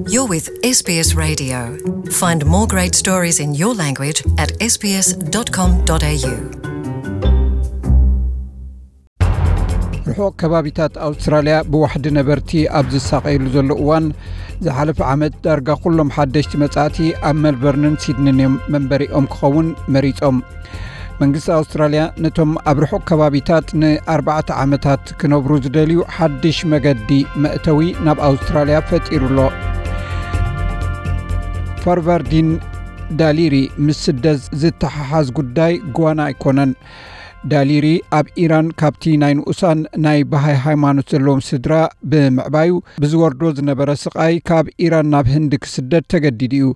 You're with S B S Radio. Find more great stories in your language at S B S dot com dot A U. ርሑቕ ከባቢታት ኣውስትራልያ ብዋሕዲ ነበርቲ ኣብ ዝሳቐየሉ ዘሎ እዋን፣ ዝሓለፈ ዓመት ዳርጋ ኩሎም ሓደሽቲ መጻእቲ ኣብ ሜልበርንን ሲድኒን እዮም መንበሪኦም ክኸውን መሪጾም። መንግስቲ ኣውስትራልያ ነቶም ኣብ ርሑቕ ከባቢታት ንኣርባዕተ ዓመታት ክነብሩ ዝደልዩ ሓድሽ መገዲ መእተዊ ናብ ኣውስትራልያ ፈጢሩ ኣሎ። ፋርቫርዲን ዳሊሪ ምስ ስደት ዝተሓሓዝ ጉዳይ ጓና ኣይኮነን። ዳሊሪ ኣብ ኢራን ካብቲ ናይ ንኡሳን ናይ ባሃይ ሃይማኖት ዘለዎም ስድራ ብምዕባዩ ብዝወርዶ ዝነበረ ስቓይ ካብ ኢራን ናብ ህንዲ ክስደድ ተገዲዱ እዩ።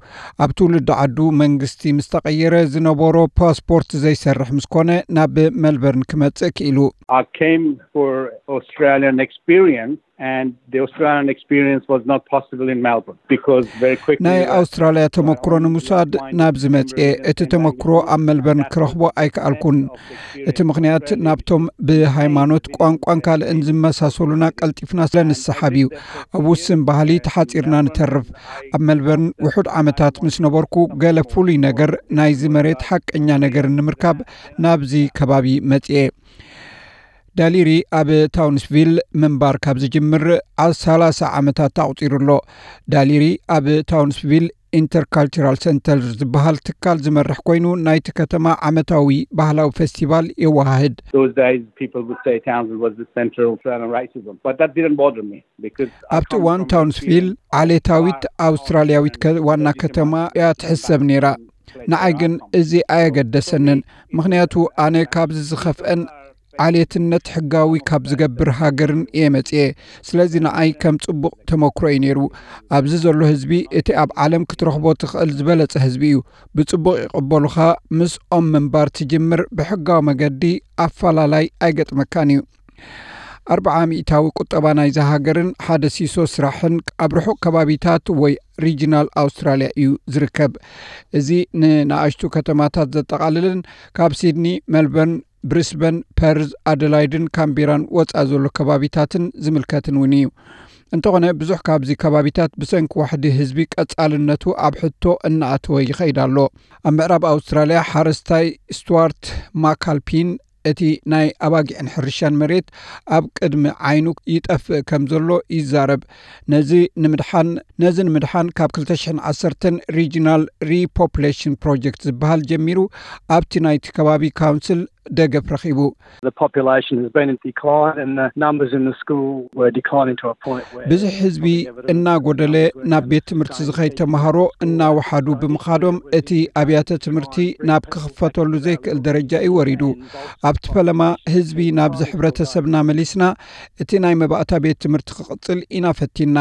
ኣብ ትውልዲ ዓዱ መንግስቲ ምስ ተቐየረ ዝነበሮ ፓስፖርት ዘይሰርሕ ምስ ኮነ ናብ ሜልበርን ክመጽእ ክኢሉ። I came for Australian experience and the Australian experience was not possible in Melbourne because very quickly ናይ ኣውስትራልያ ተመክሮ ንምውሳድ ናብዚ መጽኤ። እቲ ተመክሮ ኣብ ሜልበርን ክረኽቦ ኣይከኣልኩን። እቲ ምኽንያት ናብቶም ብሃይማኖት፣ ቋንቋን ካልእን ዝመሳሰሉና ቀልጢፍና ስለ ንሰሓብ እዩ። ኣብ ውስን ባህሊ ተሓጺርና ንተርፍ። ኣብ ሜልበርን ውሑድ ዓመታት ምስ ነበርኩ ገለ ፍሉይ ነገር ናይዚ መሬት ሓቀኛ ነገር ንምርካብ ናብዚ ከባቢ መጽኤ። ዳሊሪ ኣብ ታውንስቪል ምንባር ካብ ዝጅምር ዓ-፣ ሰላሳ ዓመታት ኣቑጺሩ ኣሎ። ዳሊሪ ኣብ ታውንስቪል ኢንተርካልቸራል ሰንተር ዝበሃል ትካል ዝመርሕ ኮይኑ ናይቲ ከተማ ዓመታዊ ባህላዊ ፌስቲቫል የወሃህድ። Those days people would say Townsville was the center of Australian racism, but that didn't bother me because I ኣብቲ come እዋን from ታውንስቪል ዓሌታዊት ኣውስትራልያዊት ከ-፣ ዋና ከተማ እያ ትሕሰብ ነይራ። ንዓይ ግን እዚ ኣየገደሰንን፣ ምኽንያቱ ኣነ ካብዚ ዝኸፍአን ዓሌትነት ሕጋዊ ካብ ዝገብር ሃገርን እየ መጽኤ። ስለዚ ንዓይ ከም ጽቡቕ ተመክሮ እዩ ነይሩ። ኣብዚ ዘሎ ህዝቢ እቲ ኣብ ዓለም ክትረኽቦ ትኽእል ዝበለጸ ህዝቢ እዩ። ብጽቡቕ ይቕበሉኻ። ምስኦም ምንባር ትጅምር ብሕጋዊ መገዲ ኣፈላላይ ኣይገጥመካን እዩ። ኣርብዓ ሚእታዊ ቁጠባ ናይዛ ሃገርን ሓደ ሲሶ ስራሕን ኣብ ርሑቕ ከባቢታት ወይ ሪጅናል ኣውስትራልያ እዩ ዝርከብ። እዚ ንንኣሽቱ ከተማታት ዘጠቓልልን ካብ ሲድኒ፣ ሜልበርን፣ ብሪስበን፣ ፐርዝ፣ ኣደላይድን ካምቤራን ወጻ ዘሎ ከባቢታትን ዝምልከትን እውን እዩ። እንተኾነ ብዙሕ ካብዚ ከባቢታት ብሰንኪ ዋሕዲ ህዝቢ ቀጻልነቱ ኣብ ሕቶ እናኣተወ ይኸይድ ኣሎ። ኣብ ምዕራብ ኣውስትራልያ ሓረስታይ ስቱዋርት ማካልፒን እቲ ናይ ኣባጊዕን ሕርሻን መሬት ኣብ ቅድሚ ዓይኑ ይጠፍእ ከም ዘሎ ይዛረብ። ነዚ ንምድሓን፣ ነዚ ንምድሓን ካብ ክልተ ሽሕን ዓሰርተን ሪጂናል ሪፖፕሌሽን ፕሮጀክት ዝበሃል ጀሚሩ ኣብቲ ናይቲ ከባቢ ካውንስል ደገፍ ረኺቡ። The population has been in decline and the numbers in the school were declining to a point where ብዝሒ ህዝቢ እናጎደለ ናብ ቤት ትምህርቲ ዝኸይድ ተምሃሮ እናወሓዱ ብምኻዶም እቲ ኣብያተ ትምህርቲ ናብ ክኽፈተሉ ዘይክእል ደረጃ እዩ ወሪዱ። ኣብቲ ፈለማ ህዝቢ ናብዚ ሕብረተሰብና መሊስና እቲ ናይ መባእታ ቤት ትምህርቲ ክቕጽል ኢና ፈቲንና።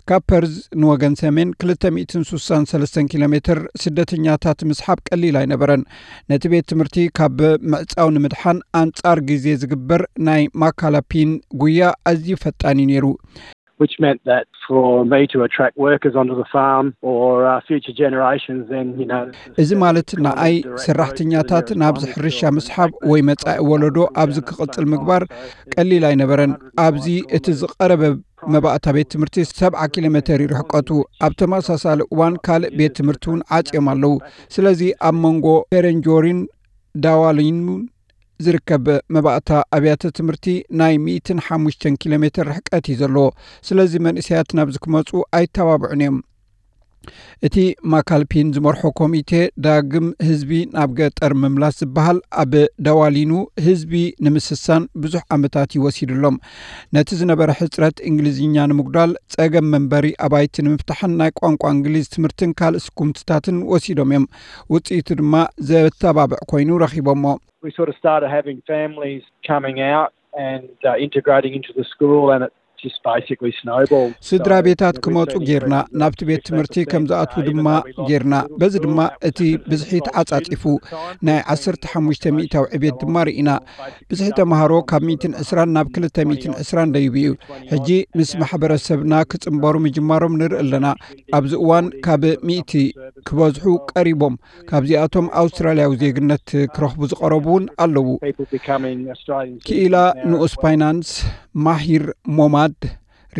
ካብ ፐርዝ ንወገን ሰሜን ክልተ ሚእትን ስሳን ሰለስተን ኪሎ ሜትር ስደተኛታት ምስሓብ ቀሊል ኣይነበረን። ነቲ ቤት ትምህርቲ ካብ ምዕጻው ንምድሓን ኣንጻር ግዜ ዝግበር ናይ ማካላፒን ጉያ ኣዝዩ ፈጣን እዩ ነይሩ። Which meant that for me to attract workers onto the farm or uh, future generations, then, you know, እዚ ማለት ንኣይ ሰራሕተኛታት ናብዚ ሕርሻ ምስሓብ ወይ መጻኢ ወለዶ ኣብዚ ክቕጽል ምግባር ቀሊል ኣይነበረን። ኣብዚ እቲ ዝቐረበ መባእታ ቤት ትምህርቲ ሰብዓ ኪሎ ሜተር እዩ ርሕቀቱ። ኣብ ተመሳሳሊ እዋን ካልእ ቤት ትምህርቲ እውን ዓጽዮም ኣለዉ። ስለዚ ኣብ መንጎ ፔረንጆሪን ዳዋሊኑን ዝርከብ መባእታ ኣብያተ ትምህርቲ ናይ ሚእትን ሓሙሽተን ኪሎ ሜተር ርሕቀት እዩ ዘለዎ። ስለዚ መንእሰያት ናብዚ ክመጹ ኣይተባብዑን እዮም። እቲ ማካልፒን ዝመርሖ ኮሚቴ ዳግም ህዝቢ ናብ ገጠር ምምላስ ዝበሃል ኣብ ደዋሊኑ ህዝቢ ንምስሳን ብዙሕ ዓመታት እዩ ወሲዱሎም። ነቲ ዝነበረ ሕጽረት እንግሊዝኛ ንምጉዳል፣ ጸገም መንበሪ ኣባይቲ ንምፍታሕን ናይ ቋንቋ እንግሊዝ ትምህርትን ካልእ ስጉምትታትን ወሲዶም እዮም። ውጽኢቱ ድማ ዘተባብዕ ኮይኑ ረኺቦሞ። We sort of started having families coming out and uh, integrating into the school, and it just basically snowballed. ስድራ ቤታት ክመጹ ጌርና፣ ናብቲ ቤት ትምህርቲ ከም ዝኣትዉ ድማ ጌርና። በዚ ድማ እቲ ብዝሒ ተዓጻጺፉ፣ ናይ ዓሰርተ ሓሙሽተ ሚእታዊ ዕቤት ድማ ርኢና። ብዝሒ ተምሃሮ ካብ ሚእትን ዕስራን ናብ ክልተ ሚእትን ዕስራን ደይቡ እዩ። ሕጂ ምስ ማሕበረሰብና ክጽንበሩ ምጅማሮም ንርኢ ኣለና። ኣብዚ እዋን ካብ ሚእቲ ክበዝሑ ቀሪቦም። ካብዚኣቶም ኣውስትራልያዊ ዜግነት ክረኽቡ ዝቐረቡ እውን ኣለዉ። ክኢላ ንኡስ ፋይናንስ ማሂር ሞማድ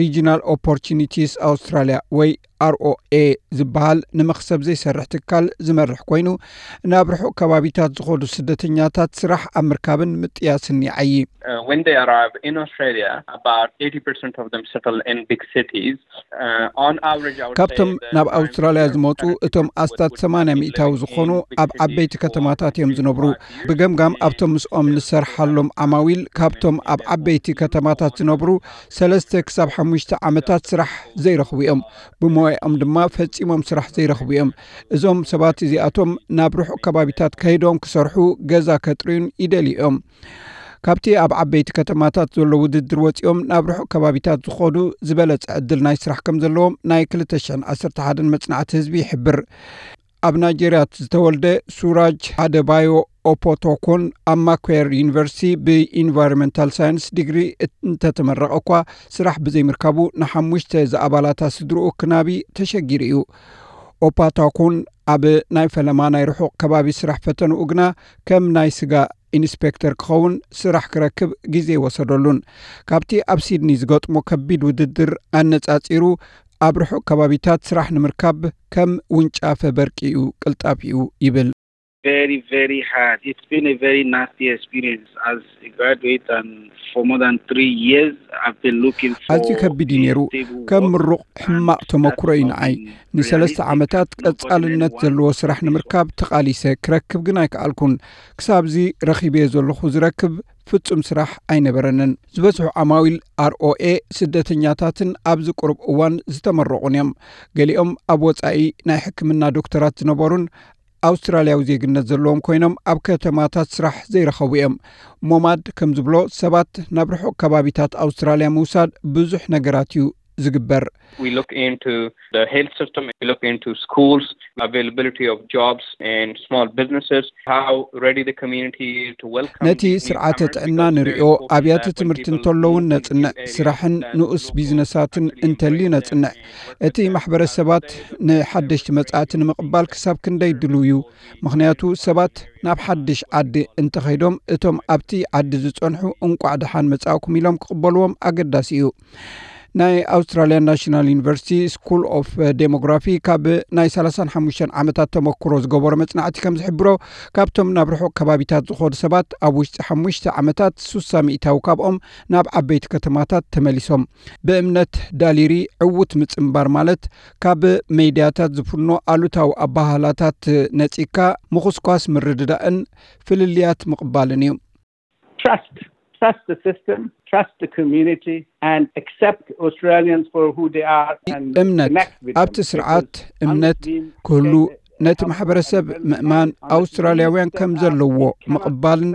Regional Opportunities Australia ወይ ኣርኦኤ ዝበሃል ንመኽሰብ ዘይሰርሕ ትካል ዝመርሕ ኮይኑ፣ ናብ ርሑቕ ከባቢታት ዝኸዱ ስደተኛታት ስራሕ ኣብ ምርካብን ምጥያስን ይዓዪ። Uh, when they arrive in Australia, about eighty percent of them settle in big cities. Uh, on average, I would say ካብቶም the ናብ time ኣውስትራልያ they are ዝመፁ currently እቶም ኣስታት ሰማንያ ሚእታዊ ዝኾኑ ኣብ ዓበይቲ ከተማታት እዮም ዝነብሩ። ብገምጋም ኣብቶም ምስኦም ንሰርሓሎም ዓማዊል ካብቶም ኣብ ዓበይቲ ከተማታት ዝነብሩ ሰለስተ ክሳብ ሓሙሽተ ዓመታት ስራሕ ዘይረኽቡ እዮም። ብሞያኦም ድማ ፈጺሞም ስራሕ ዘይረኽቡ እዮም። እዞም ሰባት እዚኣቶም ናብ ርሑቕ ከባቢታት ከይዶም ክሰርሑ፣ ገዛ ከጥርዩን ይደልዩ እዮም። ካብቲ ኣብ ዓበይቲ ከተማታት ዘሎ ውድድር ወጺኦም ናብ ርሑቕ ከባቢታት ዝኸዱ ዝበለጸ ዕድል ናይ ስራሕ ከም ዘለዎም ናይ ክልተ ሽሕን ዓሰርተ ሓደን መጽናዕቲ ህዝቢ ይሕብር። ኣብ ናይጀርያ ዝተወልደ ሱራጅ ኣደባዮ ኦፖቶኮን ኣብ ማኩዌር ዩኒቨርሲቲ ብኢንቫይሮንመንታል ሳይንስ ዲግሪ እንተተመረቐ እኳ ስራሕ ብዘይምርካቡ ንሓሙሽተ ዝኣባላታ ስድርኡ ክናቢ ተሸጊሩ እዩ። ኦፓታኮን ኣብ ናይ ፈለማ ናይ ርሑቕ ከባቢ ስራሕ ፈተንኡ ግና ከም ናይ ስጋ ኢንስፔክተር ክኸውን ስራሕ ክረክብ ግዜ ወሰደሉን። ካብቲ ኣብ ሲድኒ ዝገጥሞ ከቢድ ውድድር ኣነጻጺሩ ኣብ ርሑቕ ከባቢታት ስራሕ ንምርካብ ከም ውንጫፈ በርቂ እዩ፣ ቅልጣፍ እዩ ይብል። Very, very hard. It's been a very nasty experience as a graduate, and for more than three years, I've been looking for ኣዝዩ ከቢድ እዩ ነይሩ። ከም ምሩቕ ሕማቕ ተመክሮ እዩ ንዓይ። ንሰለስተ ዓመታት ቀጻልነት ዘለዎ ስራሕ ንምርካብ ተቓሊሰ፣ ክረክብ ግን ኣይከኣልኩን። ክሳብዚ ረኺበዮ ዘለኹ ዝረክብ ፍጹም ስራሕ ኣይነበረንን። ዝበዝሑ ዓማዊል ኣርኦኤ ስደተኛታትን ኣብዚ ቁሩብ እዋን ዝተመረቑን እዮም። ገሊኦም ኣብ ወጻኢ ናይ ሕክምና ዶክተራት ዝነበሩን ኣውስትራልያዊ ዜግነት ዘለዎም ኮይኖም ኣብ ከተማታት ስራሕ ዘይረኸቡ እዮም። ሞማድ ከም ዝብሎ ሰባት ናብ ርሑቕ ከባቢታት ኣውስትራልያ ምውሳድ ብዙሕ ነገራት እዩ ዝግበር። We look into the health system, we look into schools, availability of jobs and small businesses, how ready the community is to welcome ነቲ these ስርዓተ newcomers, ጥዕና because ንሪኦ very often ኣብያተ that when ትምህርቲ people እንተለውን move into ነጽንዕ፣ areas ስራሕን that ንኡስ look for ቢዝነሳትን unemployment እንተልዩ rates ነጽንዕ። and እቲ ማሕበረሰባት ንሓደሽቲ መጻእቲ ንምቕባል ክሳብ ክንደይ ድልው እዩ? ምኽንያቱ ሰባት ናብ ሓድሽ ዓዲ እንተኸይዶም እቶም ኣብቲ ዓዲ ዝጸንሑ እንቋዕ ደሓን መጻእኩም ኢሎም ክቕበልዎም ኣገዳሲ እዩ። ናይ ኣውስትራልያ ናሽናል ዩኒቨርሲቲ ስኩል ኦፍ ዴሞግራፊ ካብ ናይ ሰላሳን ሓሙሽተን ዓመታት ተመክሮ ዝገበሮ መጽናዕቲ ከም ዝሕብሮ፣ ካብቶም ናብ ርሑቕ ከባቢታት ዝኾዱ ሰባት ኣብ ውሽጢ ሓሙሽተ ዓመታት ሱሳ ሚእታዊ ካብኦም ናብ ዓበይቲ ከተማታት ተመሊሶም። ብእምነት ዳሊሪ ዕዉት ምጽንባር ማለት ካብ ሜድያታት ዝፍኖ ኣሉታዊ ኣባህላታት ነጺካ ምኹስኳስ ምርድዳእን ፍልልያት ምቕባልን እዩ። Trust. Trust the system, trust the community, and accept Australians for who they are and እምነት connect with ኣብቲ them. ስርዓት እምነት ክህሉ፣ ነቲ ማሕበረሰብ ምእማን፣ ኣውስትራልያውያን ከም ዘለዎ ምቕባልን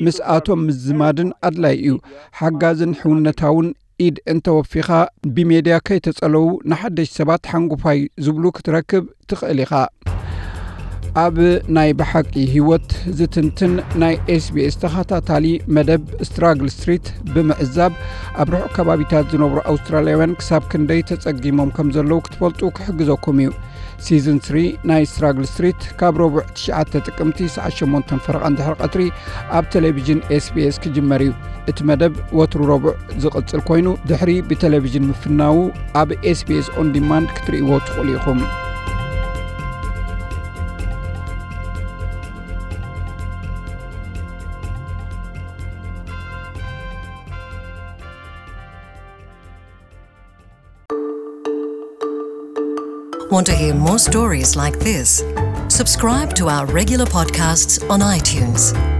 ምስኣቶም ምዝማድን ኣድላይ እዩ። ሓጋዝን ሕውነታውን ኢድ እንተወፊኻ ብሜድያ ከይተጸለዉ ንሓደሽ ሰባት ሓንጉፋይ ዝብሉ ክትረክብ ትኽእል ኢኻ። ኣብ ናይ ብሓቂ ህይወት ዝትንትን ናይ ኤስቢኤስ ተኸታታሊ መደብ ስትራግል ስትሪት ብምዕዛብ ኣብ ርሑቕ ከባቢታት ዝነብሩ ኣውስትራልያውያን ክሳብ ክንደይ ተጸጊሞም ከም ዘለዉ ክትፈልጡ ክሕግዘኩም እዩ። ሲዝን ስሪ ናይ ስትራግል ስትሪት ካብ ረቡዕ ትሽዓተ ጥቅምቲ ሰዓት ሸሞንተ ፈረቓ እንድሕር ቀትሪ ኣብ ቴሌቪዥን ኤስቢኤስ ክጅመር እዩ። እቲ መደብ ወትሩ ረቡዕ ዝቕጽል ኮይኑ ድሕሪ ብቴሌቪዥን ምፍናዉ ኣብ ኤስቢኤስ ኦን ዲማንድ ክትርእይዎ ትኽእሉ ኢኹም። Want to hear more stories like this? Subscribe to our regular podcasts on iTunes.